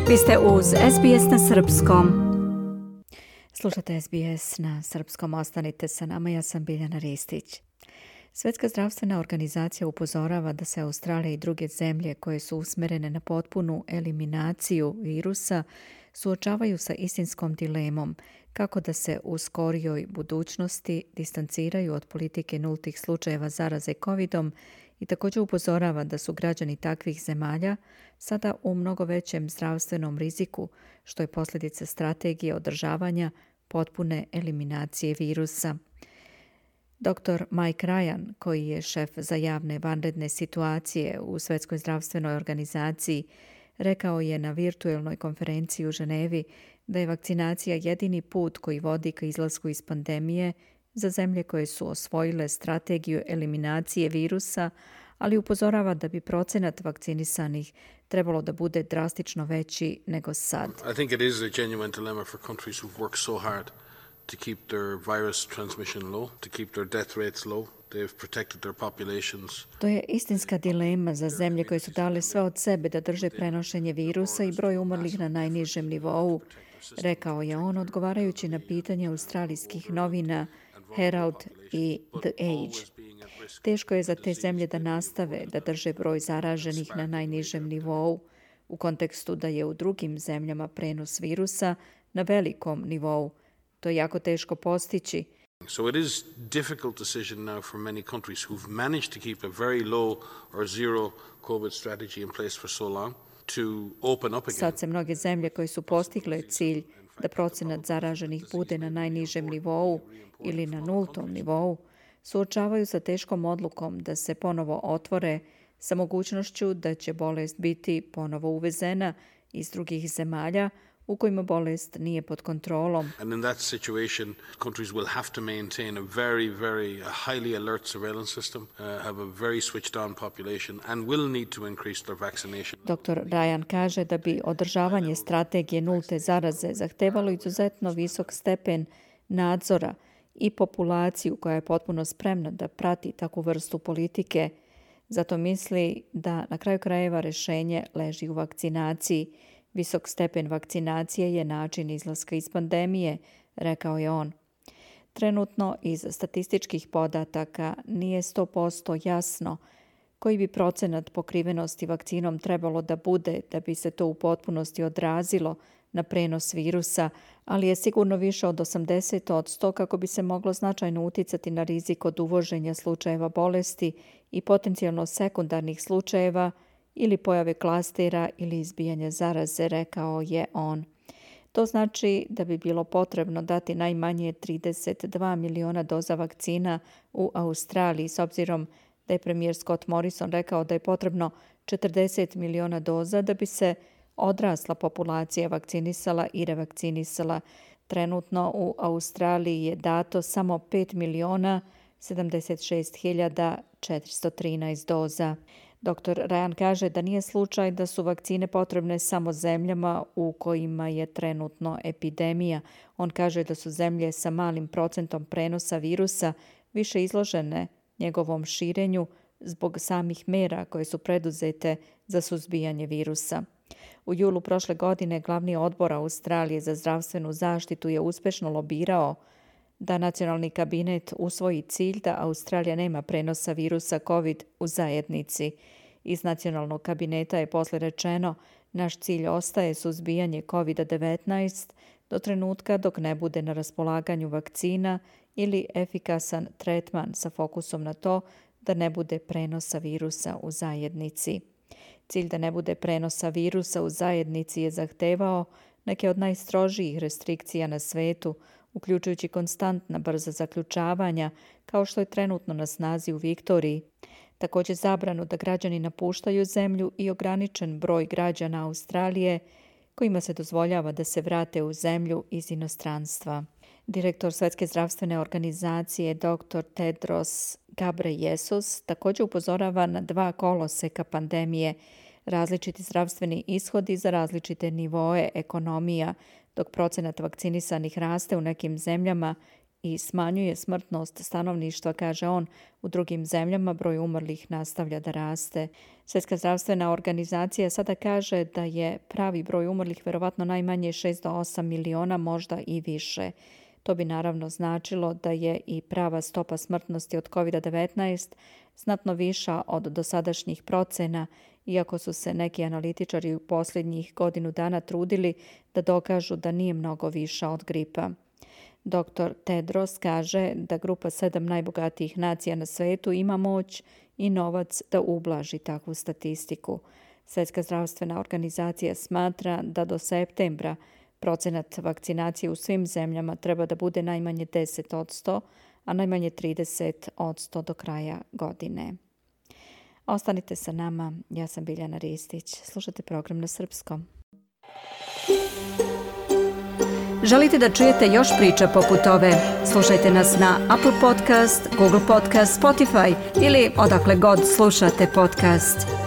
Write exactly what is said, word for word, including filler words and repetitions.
Vi ste uz S B S na srpskom. Slušate S B S na srpskom, ostanite sa nama, ja sam Biljana Ristić. Svjetska zdravstvena organizacija upozorava da se Australija i druge zemlje koje su usmjerene na potpunu eliminaciju virusa suočavaju sa istinskom dilemom kako da se u skorijoj budućnosti distanciraju od politike nultih slučajeva zaraze covidom i također upozorava da su građani takvih zemalja sada u mnogo većem zdravstvenom riziku, što je posljedica strategije održavanja potpune eliminacije virusa. doktor Mike Ryan, koji je šef za javne vanredne situacije u Svjetskoj zdravstvenoj organizaciji, rekao je na virtuelnoj konferenciji u Ženevi da je vakcinacija jedini put koji vodi ka izlasku iz pandemije za zemlje koje su osvojile strategiju eliminacije virusa, ali upozorava da bi procenat vakcinisanih trebalo da bude drastično veći nego sad. I think it is a genuine dilemma for countries who've worked so hard to keep their virus transmission low, to keep their death rates low. They've protected their populations. To je istinska dilema za zemlje koje su dale sve od sebe da drže prenošenje virusa i broj umrlih na najnižem nivou, rekao je on odgovarajući na pitanje australijskih novina Herald i The Age. Teško je za te zemlje da nastave da drže broj zaraženih na najnižem nivou u kontekstu da je u drugim zemljama prenos virusa na velikom nivou. To je jako teško postići. So it is difficult decision now for many countries who've managed to keep a very low or zero COVID strategy in place for so long to open up again. Sad se mnoge zemlje koje su postigle cilj da procenat zaraženih bude na najnižem nivou ili na nultom nivou, suočavaju sa teškom odlukom da se ponovo otvore sa mogućnošću da će bolest biti ponovo uvezena iz drugih zemalja u kojima bolest nije pod kontrolom. And in that situation, countries will have to maintain a very, very uh, highly alert surveillance system, uh, have a very switched on population and will need to increase their vaccination. doktor Ryan kaže da bi održavanje strategije nulte zaraze zahtevalo izuzetno visok stepen nadzora i populaciju koja je potpuno spremna da prati takvu vrstu politike. Zato misli da na kraju krajeva rješenje leži u vakcinaciji. Visok stepen vakcinacije je način izlaska iz pandemije, rekao je on. Trenutno iz statističkih podataka nije sto posto jasno koji bi procenat pokrivenosti vakcinom trebalo da bude da bi se to u potpunosti odrazilo na prenos virusa, ali je sigurno više od osamdeset posto kako bi se moglo značajno uticati na rizik od uvoženja slučajeva bolesti i potencijalno sekundarnih slučajeva ili pojave klastera ili izbijanja zaraze, rekao je on. To znači da bi bilo potrebno dati najmanje trideset dva miliona doza vakcina u Australiji, s obzirom da je premijer Scott Morrison rekao da je potrebno četrdeset miliona doza da bi se odrasla populacija vakcinisala i revakcinisala. Trenutno u Australiji je dato samo pet miliona sedamdeset šest hiljada četiristo trinaest doza. doktor Ryan kaže da nije slučaj da su vakcine potrebne samo zemljama u kojima je trenutno epidemija. On kaže da su zemlje sa malim procentom prenosa virusa više izložene njegovom širenju zbog samih mera koje su preduzete za suzbijanje virusa. U julu prošle godine glavni odbor Australije za zdravstvenu zaštitu je uspješno lobirao da nacionalni kabinet usvoji cilj da Australija nema prenosa virusa COVID u zajednici. Iz nacionalnog kabineta je poslije rečeno naš cilj ostaje suzbijanje covid devetnaest do trenutka dok ne bude na raspolaganju vakcina ili efikasan tretman sa fokusom na to da ne bude prenosa virusa u zajednici. Cilj da ne bude prenosa virusa u zajednici je zahtevao neke od najstrožijih restrikcija na svetu, uključujući konstantna brza zaključavanja, kao što je trenutno na snazi u Viktoriji. Također zabranu da građani napuštaju zemlju i ograničen broj građana Australije kojima se dozvoljava da se vrate u zemlju iz inostranstva. Direktor Svjetske zdravstvene organizacije doktor Tedros Ghebreyesus također upozorava na dva koloseka pandemije, različiti zdravstveni ishodi za različite nivoe ekonomija, dok procenat vakcinisanih raste u nekim zemljama i smanjuje smrtnost stanovništva, kaže on. U drugim zemljama broj umrlih nastavlja da raste. Svjetska zdravstvena organizacija sada kaže da je pravi broj umrlih vjerovatno najmanje šest do osam miliona, možda i više. To bi naravno značilo da je i prava stopa smrtnosti od kovid devetnaest znatno viša od dosadašnjih procena, iako su se neki analitičari u posljednjih godinu dana trudili da dokažu da nije mnogo viša od gripa. doktor Tedros kaže da grupa sedam najbogatijih nacija na svetu ima moć i novac da ublaži takvu statistiku. Svjetska zdravstvena organizacija smatra da do septembra procenat vakcinacije u svim zemljama treba da bude najmanje deset posto, a najmanje trideset posto do kraja godine. Ostanite sa nama, ja sam Biljana Ristić. Slušajte program na srpskom. Želite da čujete još priča poput ove? Slušajte nas na Apple Podcast, Google Podcast, Spotify ili odakle god slušate podcast.